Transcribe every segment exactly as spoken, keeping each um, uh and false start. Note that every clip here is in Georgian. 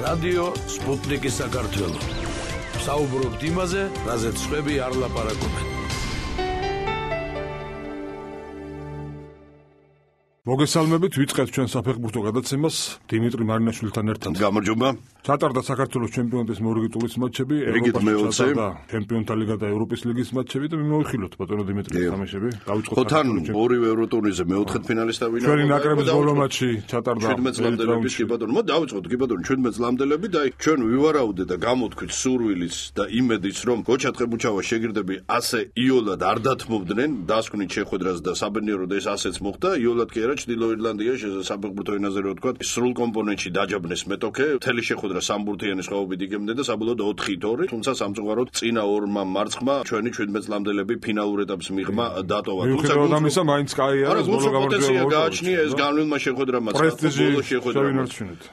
რადიო სპუტნიკი საქართველო. საუბრობთ იმაზე, რაზეც სხვები არ ლაპარაკობენ. მოგესალმებით, ვიწყებთ ჩვენ საფეხბურთო გადაცემას დიმიტრი მარინაშვილთან ერთად. გამარჯობა. ჩატარდა საქართველოს ჩემპიონატის მორიგი ტურის მატჩები, ევროპაში ჩატარდა ჩემპიონთა ლიგა და ევროპის ლიგის მატჩები და მიმოვიხილოთ ბატონო დიმიტრი თამაშები. დავიწყოთ ხოთან ორივე ევროტურნირზე მეოთხედფინალისტა ვინაობა. ჩვენი ნაკრების ბოლო მატჩი ჩატარდა შვიდმეტ წლამდელების კი ბატონო. მოდი დავიწყოთ კი ბატონო შვიდმეტ წლამდელები და ჩვენ ვივარაუდეთ და გამოთქვით სურვილის და იმედიც რომ გოჩა თხებუჩავა შეგირდები ასე იოლად არ დათმობდნენ, დასკვნით შეხვედრას და საბედნიეროდ ეს ასეც მოხდა. იოლად კი არა ჩრდილო ირლანდიაში საფეხბურთო ენაზე რო ვთქვათ, სრულ კომპონენტში დაჯაბნეს მეტოქე, მთელი შეხვედრა სამბურთიანი სხვაობით იგებდა და საბოლოოდ ოთხი ორი, თუმცა სამწუხაროდ წინა ორმა მარცხმა ჩვენი შვიდმეტ წლამდელები ფინალურ ეტაპს მიღმა დატოვა. თუმცა გამისა მაინც კაია, ეს ბოლო გამარჯვება გააჩნია ეს განვილმა შეხვედრამ პრესტიჟი შეხვედრამ.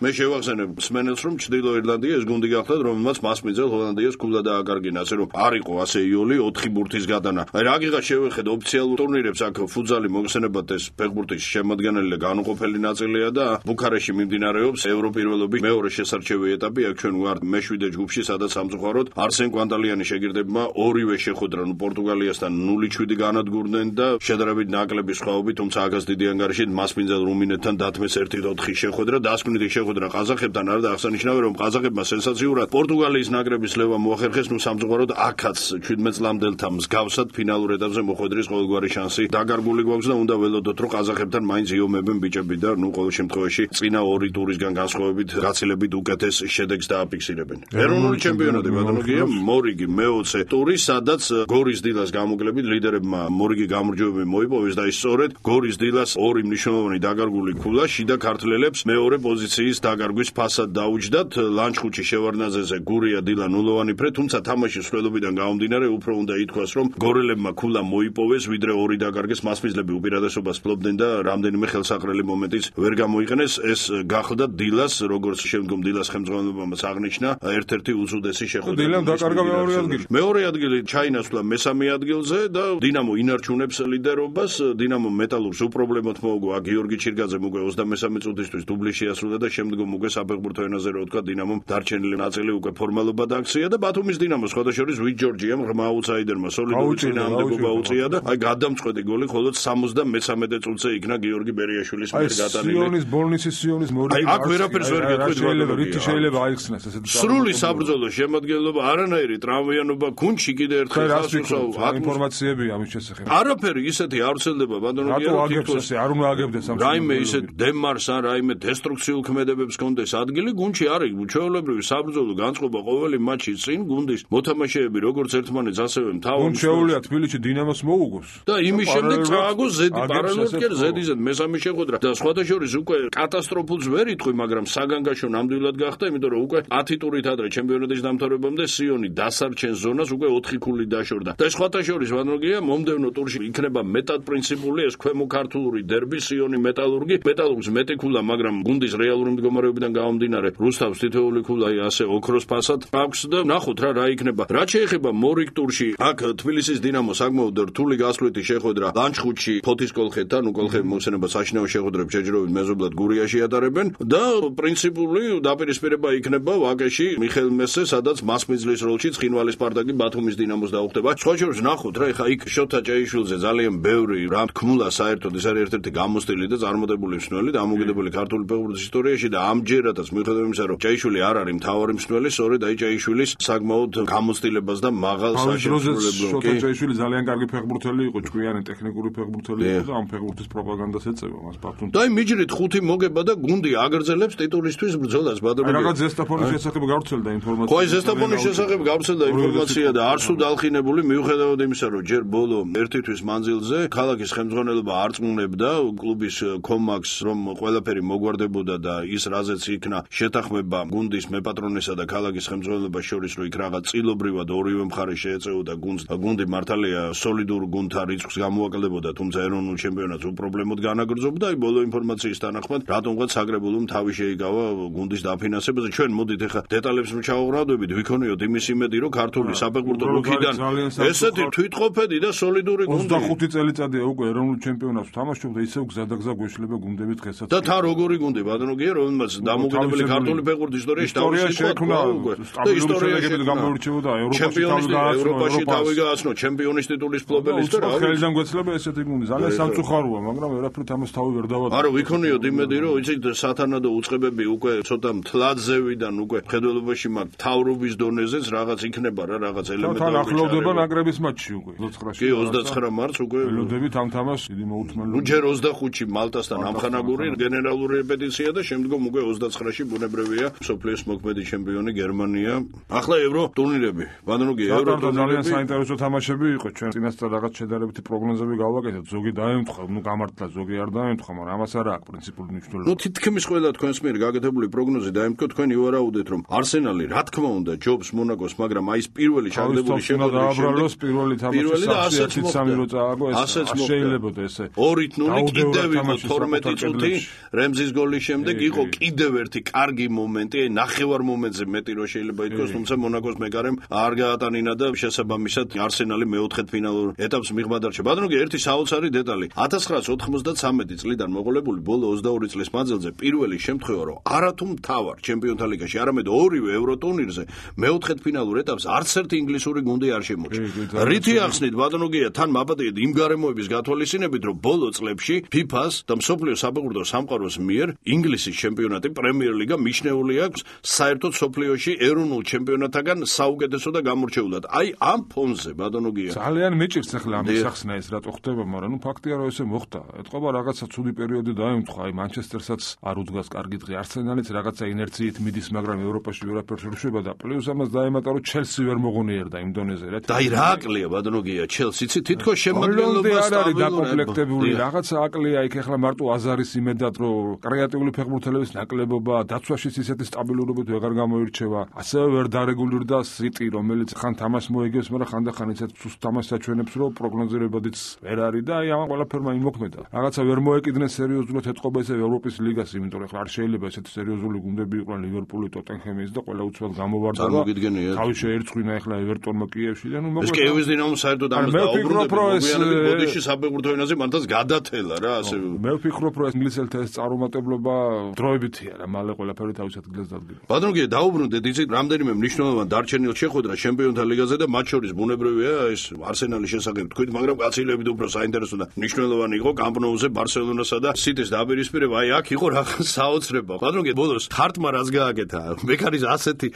მე შევახსენებ მსმენელს რომ ჩრდილო ირლანდია ეს გუნდი გახლავთ რომელმაც მასმიძელ ჰოლანდიას ქულა დააკარგინა, ასე რომ არ იყო ასე იოლი ოთხი ბურთის გადანა. აი რაგიღაც შევეხეთ ოფიციალურ ტურნირებს აქ ფუტზალი მოხსენებათ ეს ფეხბურთის შემადგენელი და განუყოფელი ნაწილია და ბუქარესტში მიმდინარეობს ევროპირველობის მეორე შესარჩევი ეტაპი. აქ ჩვენ ვართ მეშვიდე ჯგუფში, სადაც სამწუხაროდ არსენ კვანტალიანი შეგირდებმა ორივე შეხვედრა პორტუგალიასთან ნული შვიდი განადგურდნენ და შედარებით ნაკლები სხვაობით, თუმცა აგას დიდი ანგარიშით მასპინძელ რუმინეთთან დათმეს ერთი ოთხი შეხვედრა. დასკვნითი შეხვედრა ყაზახებთან არა და აღსანიშნავია რომ ყაზახებმა სენსაციურად პორტუგალიის ნაკრების ლევა მოახერხეს, ნუ სამწუხაროდ აქაც შვიდმეტ წლამდელთა მსგავსად ფინალურ ეტაპზე მოხვედრის ყოველგვარი შანსი დაგარგული გვაქვს და უნდა ველოდოთ რომ ყაზახებთან მაინც იომებენ ბიჭები და ნუ ყოველ შემთხვევაში წინა ორი ტურისგან განსხვავებით გაცილებით უკეთეს შედეგს დააფიქსირებენ. ეროვნული ჩემპიონატი ბატონო გია მორიგი მეოცე ტური, სადაც გორის დილას გამოკლებით ლიდერებმა მორიგი გამარჯვებები მოიპოვეს და ის სწორედ გორის დილას ორი მნიშვნელოვანი დაგარგული ქულა შიდა ქართველებს მეორე პოზიციის დაგარგვის ფასად დაუჯდათ. ლანჩხუთში შევარდნაძეზე გურია დილა ნულოვანი ფრე, თუმცა თამაშის სრულობიდან გამომდინარე უფრო უნდა ითქვას რომ გორელებმა ქულა მოიპოვეს ვიდრე ორი დაგარგეს. მასპინძლები უპირატესობას ფლობდნენ და რამდენიმე ხელსაყრელი მომენტიც ვერ გამოიყენეს. ეს გახდა დილას, როგორც შემდგომ დილას ხელმძღვანელობამ აღნიშნა, ერთ-ერთი უზუდესი შეხვედრა. დილამ დაკარგა მეორე ადგილი. მეორე ადგილი ჩაინაცვლა მესამე ადგილზე და დინამო ინარჩუნებს ლიდერობას. დინამო მეტალურგს უპრობლემოდ მოუგო გიორგი ჩირგაძემ უკვე ოცდამესამე წუთისთვის დუბლი შეასრულა და შემდგომ უკვე საფეხბურთო ენაზე რო ვთქვა, დინამომ დარჩენილი ნაწილი უკვე ფორმალობა დააქცია და ბათუმის დინამოს სხვადასხვა ვით ჯორჯიამ ღრმა აუტსაიდერმა სოლიდური წინააღმდეგობა უწია და აი გადამწყვეტი გოლი მხოლოდ სამოცდამესამე წუთზე იქნა გიორგი ბერიაშვილის მიერ გადანილი. სიონის ბოლნისის სიონის მორიგი. აი აქ ვერაფერს ვერ გეტყვით ბატონო. რითი შეიძლება აიხსნას ესეთი სრული საბრძოლო შემადგენლობა, არანაირი ტრავმიანობა გუნდში კიდე ერთხელ ხასუსაო ინფორმაციები ამის შესახებ. არაფერი ისეთი არ ვრცელდება ბატონო გია. რატო აგებს ესე არ უნდა აგებდეს ამ რაიმე ისე დემარს ან რაიმე დესტრუქციულ ქმედებებს კონდეს ადგილი გუნდში არის. ჩვეულებრივი საბრძოლო განწყობა ყოველი მატჩის წინ გუნდის მოთამაშეები როგორც ერთმანეთს ასევე მთავარ გუნდ შეუძლია თბილისში დინამოს მოუგოს და იმის შემდეგ წააგოს ზედი პარალელურად ზედიზედ მესამე შეხვედრა და სხვათა შორის უკვე კატასტროფულს ვერ იტყვი, მაგრამ საგანგაშო ნამდვილად გახდა, იმიტომ რომ უკვე ათი ტურით ადრე ჩემპიონატის დამთავრებამდე სიონი დასარჩენ ზონას უკვე ოთხი ქული დაშორდა. და სხვათა შორის ვანროგია მომდევნო ტურში იქნება მეტად პრინციპული ეს ქვემო ქართული დერბი სიონი მეტალურგი. მეტალურგს მეტი ქულა, მაგრამ გუნდის რეალური მდგომარეობიდან გამომდინარე რუსთავს თითოეული ქულა ასე ოქროს ფასად აქვს და ნახოთ რა რა იქნება. რაც შეეხება მორიგ ტურში, აქ თბილისის დინამოს საკმაოდ რთული გასვლითი შეხვედრა ლანჩხუთში ფოთის კოლხეთთან, ნუ კოლხები მოხსენება საშინაო შეხვედრებს ჯერჯერობით მეზობლად გურიაში ატარებენ და პრინციპული დაპირისპირება იქნება ვაკეში მიხეილ მესე, სადაც მასპინძლის როლში ცხინვალის სპარტაკი ბათუმის დინამოს დაუხდება. სხვა შორის ნახოთ რა, ეხა იქ შოთა ჭეიშვილზე ძალიან ბევრი რა თქმულა საერთოდ ეს არის ერთ-ერთი გამოსტილი და წარმოდებული მსმენელი და ამოგედებული ქართული ფეხბურთის ისტორიაში და ამჯერადაც მიუხედავად იმისა, რომ ჭეიშვილი არ არის მთავარი მსმენელი, სწორედ აი ჭეიშვილის საკმაოდ გამოსტილებას და მაღალ საშემსრულებლობას. შოთა ჭეიშვილი ძალიან კარგი ფეხბურთელი იყო, ჭკვიანი ტექნიკური ფეხბურთელი იყო და ამ ფეხბურთის პროპაგანდას ეწევა მას ბათუმში. და აი მიჯრით ხუთი მოგება და გუნდი აგრძელებს ტიტულისთვის ბრძოლას ბატონო. აი რაღაც ზესტაფონის შესახებ გავრცელდა ინფორმაცია. ხო, ზესტაფონის შესახებ გავრცელდა ინფორმაცია და არ სულ დალხინებული მიუხედავად იმისა, რომ ჯერ ბოლო ერთი თვის მანძილზე ქალაქის ხელმძღვანელობა არწმუნებდა კლუბის კომაქს, რომ ყველაფერი მოგვარდებოდა და ის რაზეც იქნა შეთანხმება გუნდის მეპატრონესა და ქალაქის ხელმძღვანელობას შორის, რომ იქ რაღაც წილობრივად ორივე მხარე შეეწეოდა გუნდს. გუნდი მართალია სოლიდურ გუნდთან რიცხვს გამოაკლებოდა, თუმცა ეროვნულ ჩემპიონატს უპრობლემოდ ანაგრძობდა, აი ბოლო ინფორმაციის თანახმად, რატომღაც საგრებულომ თავი შეიკავა გუნდის დაფინანსებაზე. ჩვენ მოდით ახლა დეტალებს ჩავუყრადებით, ვიქონიოთ იმის იმედი, რომ ქართული საფეხბურთო რუქიდან ესეთი თვითყოფედი და სოლიდური გუნდი ოცდახუთი წელიწადია უკვე ეროვნულ ჩემპიონატს თამაშობდა, ისევ გზადაგზა გვეშლება გუნდები დღესაც. და თან როგორი გუნდი ბატონოგია, რომელმაც დამოუკიდებელი ქართული ფეხბურთის ისტორიაში თავისი შექმნა უკვე და ისტორიაში გამოირჩეოდა ევროპაში თავი გააცნო, ჩემპიონის ტიტულის ფლობელის და რა ვიცი. ხელიდან გვეცლება ესეთი გუნდი, ძალიან სამწუხაროა, მაგრამ ვერაფრით ამას თავი ვერ დავაწყო. არა, ვიქონიოთ იმედი, რომ იცით სათანადო უწყებები უკვე ცოტა მთლადზევიდან უკვე მხედველობაში მაგ თავრობის დონეზეც რაღაც იქნება რა, რაღაც ელემენტები. თან ახლოვდება ნაკრების მატჩი უკვე. კი, ოცდაცხრა მარტს უკვე ველოდებით ამ თამაშს დიდი მოუთმენლობა. ნუ ჯერ ოცდახუთში მალტასთან ამხანაგური გენერალური რეპეტიცია და შემდგომ უკვე ოცდაცხრაში ბუნებრივია სოფლიოს მოქმედი ჩემპიონი გერმანია. ახლა ევრო ტურნირები. ბანანუგი ევრო ტურნირები ძალიან საინტერესო თამაშები იყო. ჩვენ წინასწარ რაღაც შედარებითი პროგნოზები გავაკეთეთ. ზოგი დაემთხვა, ნუ გამართლა, ზოგი არ დაემთხვა, მაგრამ ამას არ აქვს პრინციპული მნიშვნელობა. ნუ თითქმის ყველა თქვენს მიერ გაკეთებული პროგნოზი დაემთხვა, თქვენ ივარაუდეთ, რომ არსენალი რა თქმა უნდა ჯობს მონაკოს, მაგრამ აი ეს პირველი ჩაგდებული შემოგვიბრალოს პირველი თამაში ასეთი სამი რო წააგო ეს შეიძლება ესე ორით ნული კიდევ იყო თორმეტი წუთი რემზის გოლის შემდეგ იყო კიდევ ერთი კარგი მომენტი, აი ნახევარ მომენტზე მეტი რო შეიძლება ითქვას, თუმცა მონაკოს მეკარემ არ გაატანინა და შესაბამისად არსენალი მეოთხედ ფინალურ ეტაპს მიღმა დარჩა. ბატონო, ერთი საოცარი დეტალი. ათას ცხრაას ოცდამოცდამეტი წლიდან მოყოლებული ბოლო ოცდაორი წლის მანძილზე პირველი შემთხვევა, რომ არათუ მთავარ ჩემპიონთა ლიგაში, არამედ ორივე ევრო ტურნირზე მეოთხედ ფინალურ ეტაპს არც ერთი ინგლისური გუნდი არ შემორჩა. რითი ახსნით ბატონოგია, თან მაპატიეთ იმ გარემოების გათვალისწინებით, რომ ბოლო წლებში ფიფას და მსოფლიო საფეხბურთო სამყაროს მიერ ინგლისის ჩემპიონატი პრემიერ ლიგა მიჩნეული აქვს საერთოდ მსოფლიოში ეროვნულ ჩემპიონატთან საუკეთესო და გამორჩეულად. აი ამ ფონზე ბატონოგია ძალიან მეჭირს ახლა ამის ახსნა ეს რატო ხდება, მაგრამ ნუ ფაქტია რომ ესე მოხდა. ეთყობა რაღაცა ცუდი პერიოდი დაემთხვა, აი მანჩესტერსაც არ უძგას კარგი დღე, არსენალიც რაღაცა ინერციით მიდის, მაგრამ ევროპაში ვერაფერს არ შვება და პლუს ამას დაემატა რომ ჩელსი ვერ მოღონიერდა იმ დონეზე რა. და აი რა აკლია ბატონოგია ჩელსი, იცი თითქოს შემადგენლობა არის დაკომპლექტებული, რაღაცა აკლია იქ ახლა მარტო აზარის იმედად რომ კრეატიული ფეხბურთელების ნაკლებობა დაცვაშიც ისეთი სტაბილურობით ვეღარ გამოირჩევა. ასევე ვერ დარეგულირდა სიტი, რომელიც ხან თამაშს მოიგებს, მაგრამ ხანდახან ისეთ სუსტ თამაშს აჩვენებს, რომ პროგნოზირებადიც ვერ არის და აი ამ ყველაფერმა იმოქმედა. რაღაცა ვერ მოეკიდნენ სერიოზულად ეთყობა ესე ევროპის ლიგას, იმიტომ რომ ახლა არ შეიძლება ესეთი სერიოზული გუნდები იყვნენ ლივერპული, ტოტენჰემის და ყველა უცბად გამოვარდა. თავი შეერცხვინა ახლა ევერტონმა კიევში და ნუ მოკლედ ეს კიევის დინამო საერთოდ ამას დაუბრუნდა. ბოდიში საბერძნეთის ენაზე მანთაც გადათელა რა ასე. მე ვფიქრობ რომ ეს ინგლისელთა ეს წარუმატებლობა დროებითია რა, მალე ყველაფერი თავის ადგილას დადგება. ბატონო, დაუბრუნდეთ იცით რამდენიმე მნიშვნელოვან დარჩენილ შეხვედრას ჩემპიონთა ლიგაზე და მათ შორის ბუნებრივია ეს არსენალის შესახებ თქვით, მაგრამ კაცილებით უფრო საინტერესო და მნიშვნელოვანი იყო კამპ ნოუზე ბარსელონასა და სიტის დაპირისპირება. აი აქ იყო რა საოცრება. ბატონო, ბოლოს თარტმა რაც გააკეთა, მეკარის ასეთი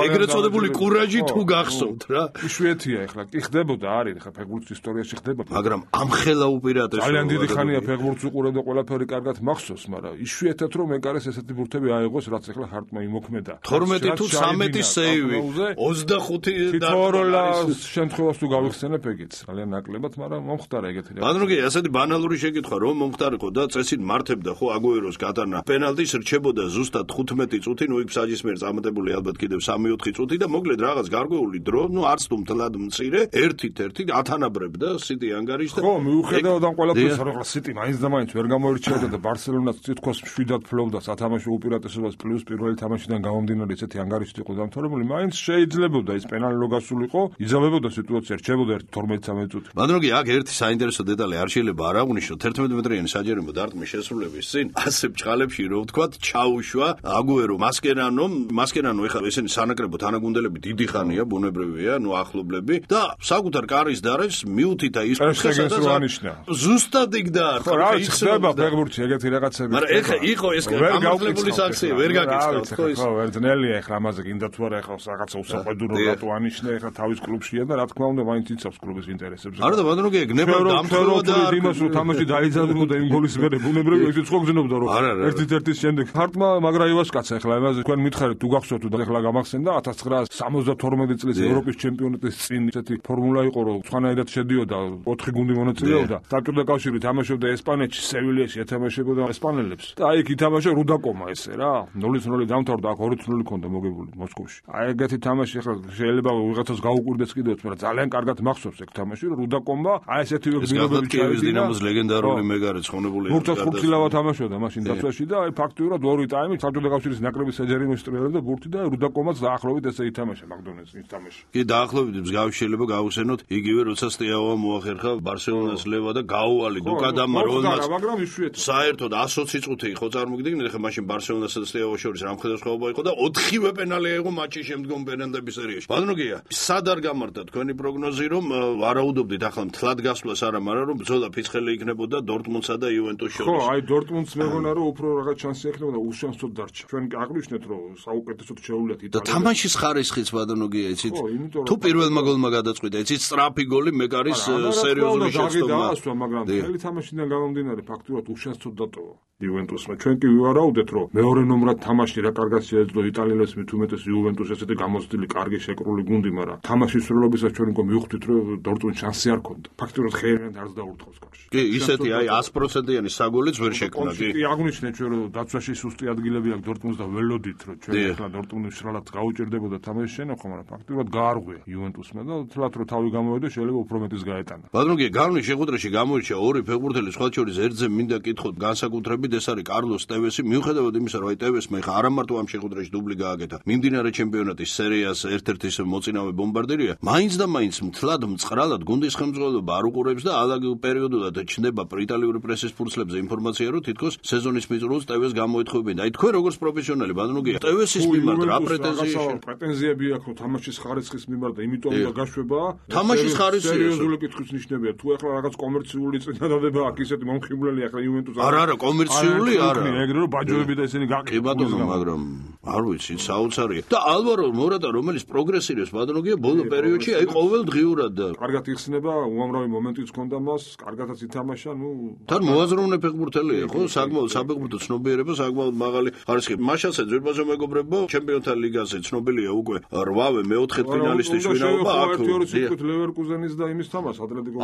ეგრეთ წოდებული კურაჟი თუ გახსოვთ რა. იშვიათია ახლა, კი ხდებოდა, არის ახლა ფეხბურთის ისტორიაში ხდება, მაგრამ ამ ხელა უპირატესობა. ძალიან დიდი ხანია ფეხბურთს უყურებ და ყველაფერი კარგად მახსოვს, მაგრამ იშვიათად რომ მეკარეს ესეთი ბურთები აიღოს, რაც ახლა ჰარტმა იმოქმედა. თორმეტი თუ სამეტი სეივი, ოცდახუთი თითოეულს შემთხვევას თუ გავიხსენებ ეგეც. ძალიან ნაკლებად, მაგრამ მომხდარა ეგეთი რა. ბატონო, ასეთი ბანალური შეკითხვა რომ მომხდარიყო და წესით მართებდა ხო აგუეროს გატანა. პენალტის რჩებოდა ზუსტად ხუთმეტი წუთი, ნუ იქ საჯის მიერ წამატებული ალბათ კიდევ სამი ოთხი წუთი და მოკლედ რაღაც გარკვეული დრო, ნუ არც თუ მთლად მცირე, ერთით-ერთი ათანაბრებდა სიტი ანგარიშს და ხო, მიუხედავად ამ ყველაფერს, რომ ახლა სიტი მაინც და მაინც ვერ გამოირჩეოდა და ბარსელონაც თითქოს მშვიდად ფლობდა სათამაშო უპირატესობას, პლუს პირველი თამაშიდან გამომდინარე ესეთი ანგარიშით იყო დამთავრებული, მაინც შეიძლებოდა ის პენალი რო გასულიყო, იზამებოდა სიტუაცია, რჩებოდა ერთი თორმეტი სამეტი წუთი. ბატონო, აქ ერთი საინტერესო დეტალი არ შეიძლება არ აღვნიშნო, თერთმეტ მეტრიანი საჯარიმო დარტყმის შესრულების წინ ასე ბჭყალებში რო ვთქვათ, ჩაუშვა აგუერო, მასკერანო, მასკერანო ეხლა ესენი სანაკრებო თანაგუნდელები დიდი ხანია, ბუნებრივია, ნუ ახლობლები და საკუთარ კარის დარაჯს მიუთითა ის ზუსტად იქ დაარქვა. რა ხდება ფეხბურთში ეგეთი რაღაცები. მაგრამ ეხლა იყო ეს გამოსლებული საქციე, ვერ გაგიწყდით ხო ის. ხო, ვერ ძნელია ეხლა ამაზე გინდა თუ არა ეხლა რაღაცა უსაყვედურო რატო ანიშნე ეხლა თავის კლუბშია და რა თქმა უნდა მაინც იცავს კლუბის ინტერესებს. არა და ბატონო, გეგნება დამთავრდა და იმას რომ თამაში დაიძაბნოდა იმ გოლის მერე ბუნებრივია ისიც ხო გძნობდა რომ ერთ-ერთის შემდეგ ჰარტმა მაგრა ივასკაცა ეხლა იმაზე თქვენ მითხარით თუ გახსოვთ და ეხლა გამახსენდა ათას ცხრაას სამოცდათორმეტი წლის ევროპის ჩემპიონატის წინ ესეთი ფორმულა იყო რომ სხვანაირად შედიოდა ოთხი გუნდი მონაწილეობდა. საბჭოთა კავშირი თამაშობდა ესპანეთში, სევილიაში ეთამაშებოდა ესპანელებს. და აი იქ ითამაშა რუდაკომა ესე რა. ნულის ნული დამთავრდა, აქ ორი ნული ქონდა მოგებული მოსკოვში. აი ეგეთი თამაში ახლა შეიძლება ვიღაცას გაუკვირდეს კიდევ, მაგრამ ძალიან კარგად მახსოვს ეგ თამაში, რომ რუდაკომა აი ესეთი გზნობები ჩავიდნენ. დინამოს ლეგენდარული იტალიური მეგარეც ხონებული იყო. ბურთს ხუთილავა თამაშობდა მაშინ დაცვაში და აი ფაქტიურად ორი ტაიმი საბჭოთა კავშირის ნაკრების საჯარიმო სტრიალებდა ბურთი და რუდაკომაც დაახლოებით ესე ითამაშა მაგდონელს ის თამაში. კი დაახლოებით მსგავსი შეიძლება გავხსენოთ იგივე როცა სტიაოვა მოახერხა ბარსელონას ლევა და გაუვალი დუკადამმა რომელმაც მაგრამ იშვიათად საერთოდ ათი წუთი იყო წარმოგიდგენთ ხა მაშინ ბარსელონასა და სტიაოვას შორის რა მხედველობა იყო და ოთხივე პენალი აიღო მატჩის შემდგომ პენალტების სერიაში. ბატონოგია, სად არ გამართა თქვენი პროგნოზი რომ ვარაუდობდით ახლა მთლად გასვლას არა, მაგრამ რომ ბრძოლა ფიცხელი იქნებოდა დორტმუნდსა და იუვენტუსის შორის. ხო, აი დორტმუნდს მეგონა რომ უფრო რაღაც შანსი ექნებოდა, უშანსოდ დარჩა. ჩვენ აღვნიშნეთ რომ საუკეთესოდ შეუვლიათ იტალია. და თამაშის ხარისხიც ბატონოგია, იცით? თუ პირველმა გოლმა გადაწყვიტა, იცით, სწრაფი გოლი მეკარის სერიოზული შეცდომა. მაგრამ მთელი თამაშიდან გამომდინარე ფაქტურად უშანსოდ დატოვა. იუვენტუსმა ჩვენ კი ვივარაუდეთ რომ მეორე ნომრად თამაში რა კარგად შეეძლო იტალიელებს მით უმეტეს იუვენტუსს ესეთი გამოცდილი კარგი შეკრული გუნდი, მაგრამ თამაშის სრულობისას ჩვენ უკვე მივხვდით რომ დორტმუნდს შანსი არ ქონდა. ფაქტურად ხერენად არც დაურთხოვს კარში. კი, ისეთი აი ათი პროცენტიანი საგოლიც ვერ შექმნა, კი. კი, აღვნიშნეთ ჩვენ რომ დაცვაში სუსტი ადგილები აქვს დორტმუნდს და ველოდით რომ ჩვენ ახლა დორტმუნდს სრულად გაუჭირდებოდა თამაშის შენახვა, მაგრამ ფაქტურად გაარღვია იუვენტუსმა და თლათ რომ თავი გამოვიდა შეიძლება უფრო მეტის გაეტანა. ბატონოგია, გარნის შეხვედრაში გამოირჩა ორი ფეხბურთელი სხვა შორის ერთზე მინდა კითხოთ განსაკუთრებით ეს არის კარლოს ტევესი, მიუხედავად იმისა, რომ აი ტევესმა ხა არა მარტო ამ შეხვედრაში დუბლი გააკეთა, მიმდინარე ჩემპიონატის სერიას ერთ-ერთი მოწინავე ბომბარდირია, მაინც და მაინც მთლად მწყრალად გუნდის ხელმძღვანელობა არ უყურებს და ალაგ პერიოდულად ჩნდება იტალიური პრესის ფურცლებზე ინფორმაცია, რომ თითქოს სეზონის მიწურულს ტევეს გამოეთხოვებენ. აი თქვენ როგორც პროფესიონალი ბატონოგია, ტევესის მიმართ რა პრეტენზიები პრეტენზიები აქვს რომ თამაშის ხარისხის მიმართ და იმიტომ უნდა გაშვება? თამაშის ხარისხი სერიოზული კითხვის ნიშნებია. თუ ახლა რაღაც კომერციული წინადადება აქვს ისეთი მომხიბვლელი ახლა იუვენტუსს არა არა კომერციული არა ეგრე რომ ბაჯოები და ესენი გაყიდვა. კი ბატონო, მაგრამ არ ვიცი, საოცარია. და ალვარო მორატა რომელიც პროგრესირებს ბატონოგია ბოლო პერიოდში აი ყოველდღიურად და კარგად იხსნება, უამრავი მომენტიც ჰქონდა მას, კარგადაც ითამაშა, ნუ თან მოაზროვნე ფეხბურთელია, ხო? საკმაოდ საფეხბურთო ცნობიერება, საკმაოდ მაღალი ხარისხი. მაშასე ძვირბაზო მეგობრებო, ჩემპიონთა ლიგაზე ცნობილია უკვე რვავე მეოთხე ფინალისტის ვინაობა აქ. ერთი ორი სიტყვით ლევერკუზენის და იმის თამაშს ატლეტიკო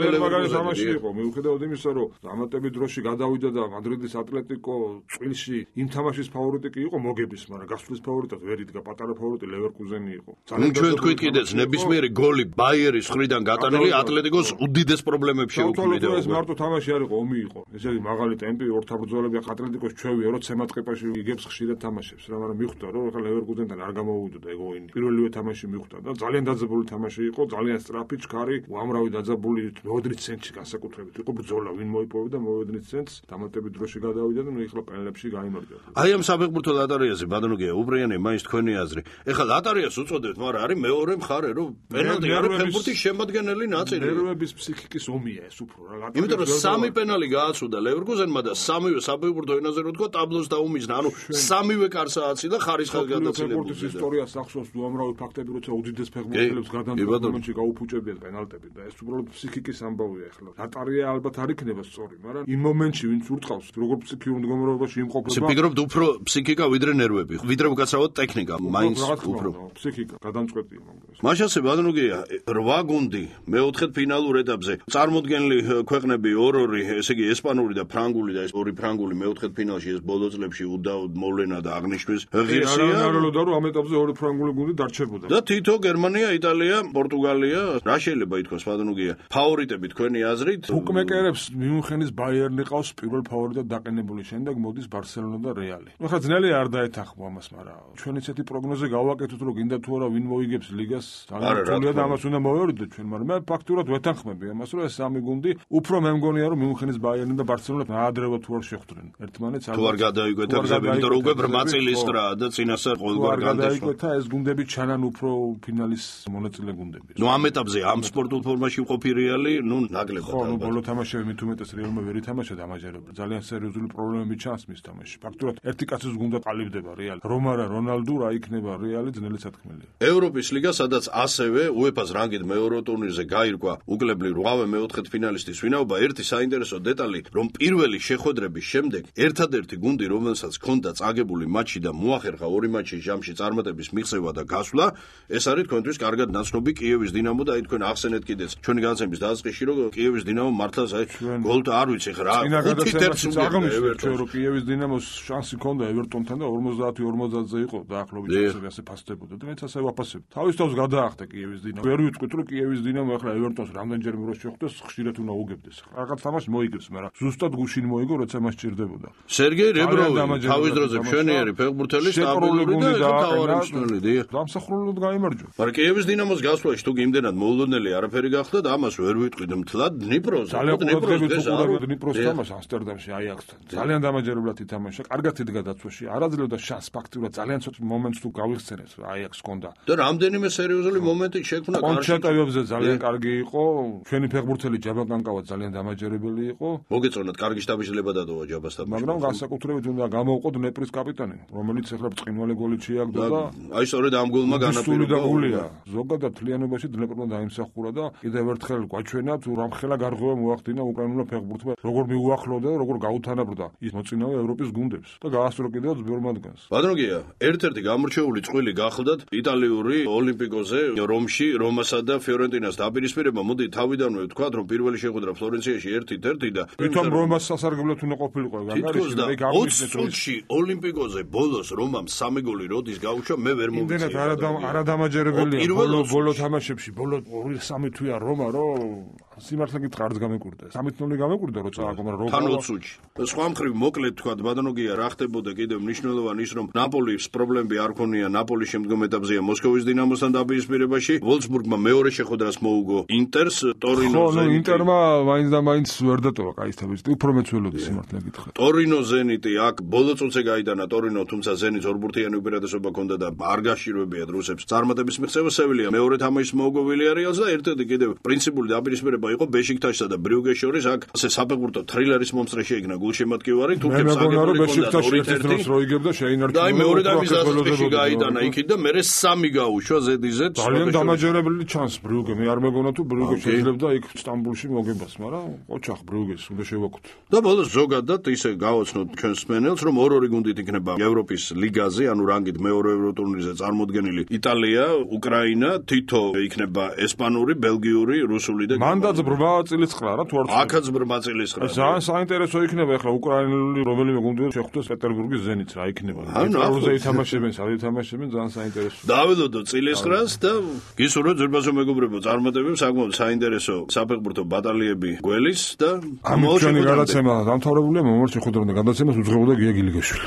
ლევერკუზენის თამაში იყო. მიუხედავად იმისა, რომ დამატებით დროში გადავიდა და მადრიდის ატლეტიკო წილში იმ თამაშის ფავორიტი კი იყო მოგების, მაგრამ გასვლის ფავორიტად ვერ იდგა, პატარა ფავორიტი ლევერკუზენი იყო. ნუ ჩვენ თქვით კიდეც ნებისმიერი გოლი ბაიერის მხრიდან გატანილი ატლეტიკოს უდიდეს პრობლემებში უქმნიდა. ეს მარტო თამაში არ იყო, ომი იყო. ესე იგი მაღალი ტემპი, ორთაბრძოლები ატლეტიკოს ჩვევია, რომ ცემატყეპაში იგებს ხშირად თამაშებს რა, მაგრამ მიხვდა რომ ახლა ლევერკუზენთან არ გამოვიდოდა ეგ ოინი. პირველივე თამაში მიხვდა და ძალიან დაძაბული თამაში იყო, ძალიან სწრაფი, ჩქარი, უამრავი დაძაბული მეოდნით ცენტში განსაკუთრებით იყო ბრძოლა, ვინ მოიპოვებდა მეოდნით ცენტს, დამატებით დროში გადავიდა და ნუ ეხლა პენალებში გაიმარჯვა. აი ამ საფეხბურთო ლატარიაზე ბატონოგია უბრალიანი მაინც თქვენი აზრი. ეხლა ლატარიას უწოდებთ, მაგრამ არის მეორე მხარე, რომ პენალტი არის ფეხბურთის შემადგენელი ნაწილი. ნერვების ფსიქიკის ომია ეს უფრო რა. იმიტომ რომ სამი პენალი გააცუდა ლევერკუზენმა და სამივე საფეხბურთო ენაზე რო თქვა ტაბლოს დაუმიზნა, ანუ სამივე კარსააცი და ხარისხად გადაცილებული. ფეხბურთის ისტორიას ახსოვს უამრავი ფაქტები, როცა უდიდეს ფეხბურთელებს გადამტკბ მომენტში გაუფუჭებიან პენალტები და ეს უბრალოდ ფსიქიკის ამბავია ახლა. ლატარია ალბათ არ იქნება სწორი, მაგრამ იმ მომენტში ვინც ურტყავს, როგორ ფსიქიურ მდგომარეობაში იმყოფება. ფიქრობ უფრო ფსიქიკა ვიდრე ნერვები, ვიდრე უკაცრავად ტექნიკა, მაინც უფრო ფსიქიკა გადამწყვეტია მაგას. მაშასე ბატონოგია რვა გუნდი მეოთხედ ფინალურ ეტაპზე წარმოდგენილი ქვეყნები ორ-ორი, ესე იგი ესპანური და ფრანგული და ეს ორი ფრანგული მეოთხედ ფინალში ეს ბოლო წლებში უდაოდ მოვლენა და აღნიშვნის ღირსია. არ არალოდა რომ ამ ეტაპზე ორი ფრანგული გუნდი დარჩებოდა. და თითო გერმანია, იტალია, პორტუგალია, რა შეიძლება ითქვას ბატონოგია? ფავორიტები თქვენი აზრით? ბუკმეკერებს მიუნხენის ბაიერნი ყავს პირველ ფავორიტად დაყენებული, შემდეგ მოდის ბარსელონა და რეალი. ნუ ხა ძნელია არ დაეთანხმო ამას, მაგრამ ჩვენ ისეთი პროგნოზი გავაკეთოთ, რომ გინდა თუ არა ვინ მოიგებს ლიგას, ძალიან რთულია და ამას უნდა მოვერიდოთ ჩვენ, მაგრამ მე ფაქტურად ვეთანხმები ამას, რომ ეს სამი გუნდი უფრო მე მგონია, რომ მიუნხენის ბაიერნი და ბარსელონა აადრევად თუ არ შეხვდნენ ერთმანეთს. თუ არ გადაიკვეთა გზები, იმიტომ რომ უკვე ბრმაწილისკრაა და წინასწარ ყოველგვარ განდესვა. გადაიკვეთა ეს გუნდები ჩანან უფრო ფინალის მონაწილე გუნდები. ნუ ამ ეტაპზე ამ სპორტულ ფორმაში მყოფი რეალი, ნუ ნაკლებად. ხო, ნუ ბოლო თამაშები მით უმეტეს რეალმა ვერ ითამაშა დამაჯერებლად. ძალიან სერიოზული პრობლემები ჩანს მის თამაში. ფაქტურად ერთი კაცის გუნდა ყალიბდება რეალი. რომა რა რონალდუ რა იქნება რეალი ძნელი სათქმელია. ევროპის ლიგა, სადაც ასევე უეფას რანგით მეორე ტურნირზე გაირკვა უკლებლი რვავე მეოთხედ ფინალისტის ვინაობა, ერთი საინტერესო დეტალი, რომ პირველი შეხვედრების შემდეგ ერთადერთი გუნდი, რომელსაც ჰქონდა წაგებული მატჩი და მოახერხა ორი მატჩის ჟამში წარმატების მიღწევა და გასვლა, ეს არის თქვენთვის კარგად ნაცნობი კიევის დინამო და აი თქვენ ახსენეთ კიდეც ჩვენი განაცემის დასაწყისში, რომ კიევის დინამო მართლაც აი გოლთ არ ვიცი ხა რა ხუთი თერთს აღნიშნეთ ჩვენ რომ კიევის დინამოს შანსი ჰქონდა ევერტონთან და ორმოცდაათი ორმოცდაათზე იყო დაახლოებით ასე ფასდებოდა და მეც ასე ვაფასებ. თავის თავს გადაახტა კიევის დინამო. ვერ ვიტყვით რომ კიევის დინამო ახლა ევერტონს რამდენჯერმე რო შეხვდეს ხშირად უნდა უგებდეს. რაღაც თამაში მოიგებს, მაგრამ ზუსტად გუშინ მოიგო, როცა მას ჭირდებოდა. სერგეი რებროვი თავის დროზე მშვენიერი ფეხბურთელი სტაბილური და თავარი მსვლელი დიახ. დამსახურებლად გაიმარჯვა. მაგრამ კიევის დინამოს გასვლაში თუ გიმდენად მოულოდნელი არაფერი გახდა და ამას ვერ ვიტყვით მთლად დნიპროზე. დნიპროს თამაშ ამსტერდამში აიაქსთან. ძალიან დამაჯერებლად ითამაშა. კარგად იდგა დაცვაში. არაძლევდა შანსს ფაქტურად ძალიან ცოტა მომენტს თუ გავიხსენეს რა აიაქსს ჰქონდა. და რამდენიმე სერიოზული მომენტი შექმნა კარში. კონჩატაევებზე ძალიან კარგი იყო. ჩვენი ფეხბურთელი ჯაბაკანკავა ძალიან დამაჯერებელი იყო. მოგეწონათ კარგი შტაბიშლება დადოვა ჯაბასთან. მაგრამ განსაკუთრებით უნდა გამოვყო დნეპრის კაპიტანი, რომელიც ახლა ბრწყინვალე გოლი შეაგდო და აი სწორედ ამ გოლმა განაპირობა. ზოგადად თლიანობაში დნეპრმა დაიმსახურა და კიდევ ერთხელ გვაჩვენა თუ რამხელა გარღვევა მოახდინა უკრაინულმა ფეხბურთმა, როგორ მიუახლოვდა და როგორ გაუთანაბრდა ის მოწინავე ევროპის გუნდებს და გაასწრო კიდევ ძველ მათგანს. ბატონგია, ერთ-ერთი გამორჩეული წყვილი გახლდათ იტალიური ოლიმპიკოზე რომში რომასა და ფიორენტინას დაპირისპირება. მოდი თავიდანვე ვთქვათ, რომ პირველი შეხვედრა ფლორენციაში ერთ-ერთი და თვითონ რომას სასარგებლოდ უნდა ყოფილიყო განგარიში და იქ აღნიშნეთ რომ ოლიმპიკოზე ბოლოს რომამ სამი გოლი როდის გაუშვა, მე ვერ მომწია. იმდენად არადამაჯერებელია ბოლო ბოლო თამაშებში, ბოლო ორი სამი თვეა რომა, რომ სიმართლე გითხრა არც გამეკვირდა. სამი ნული გამეკვირდა როცა აკომ რომ თან ოცუჩი. სხვა მხრივ მოკლედ თქვა ბატონოგია რა ხდებოდა კიდევ მნიშვნელოვანი ის რომ ნაპოლის პრობლემები არ ქონია, ნაპოლის შემდგომ ეტაპზეა მოსკოვის დინამოსთან დაპირისპირებაში. ვოლფსბურგმა მეორე შეხვედრას მოუგო ინტერს ტორინოზე. ხო, ინტერმა მაინც და მაინც ვერ დატოვა კაი თავის. უფრო მეც ველოდი სიმართლე გითხრა. ტორინო ზენიტი აქ ბოლო წუთზე გაიტანა ტორინო, თუმცა ზენიტს ორბურთიანი უპირატესობა ჰქონდა და არ გაშირვებიათ რუსებს. წარმატების მიღწევა სევილია მეორე თამაშის მოუგო ვილიარეალს და ერთ-ერთი კიდევ პრინციპული დაპირისპირება იყო ბეშიქტაშსა და ბრიუგეს შორის. აქ ასე საფეხბურთო თრილერის მომსწრე შეიქმნა გულშემატკივარი, თურქებს აგებული ბეშიქტაში ერთდროს რო იგებდა შეინარჩუნა. და მეორე თამაშის ასაკში გაიტანა იქით და მერე სამი გაუშვა ზედიზედ. ძალიან დამაჯერებელი ჩანს ბრიუგე. მე არ მეგონა თუ ბრიუგე შეიძლებდა იქ სტამბულში მოგებას, მაგრამ ოჩახ ბრიუგეს უნდა შევაკუთო. და ბოლოს ზოგადად ისე გავაცნოთ ჩვენს სმენელს, რომ ორ-ორი გუნდით იქნება ევროპის ლიგაზე, ანუ რანგით მეორე ევროტურნირზე წარმოდგენილი იტალია, უკრაინა, თითო იქნება ესპანური, ბელგიური, რუსული და მანდაც ბრმა წილისყრა რა თუ არ აქაც ბრმა წილისყრა. ძალიან საინტერესო იქნება ახლა უკრაინული რომელიმე გუნდი შეხვდეს პეტერბურგის ზენიტს რა იქნება. ევროზე ითამაშებენ, სად ითამაშებენ, ძალიან საინტერესო. დაველოდო წილისყრას და გისურვებთ ზურბაზო მეგობრებო წარმატებებს, საკმაოდ საინტერესო საფეხბურთო ბატალიები გველის და ამ ჩვენი გადაცემა დამთავრებულია, მომავალ შეხვედრამდე გადაცემას უძღვებოდა გია გილიგაშვილი.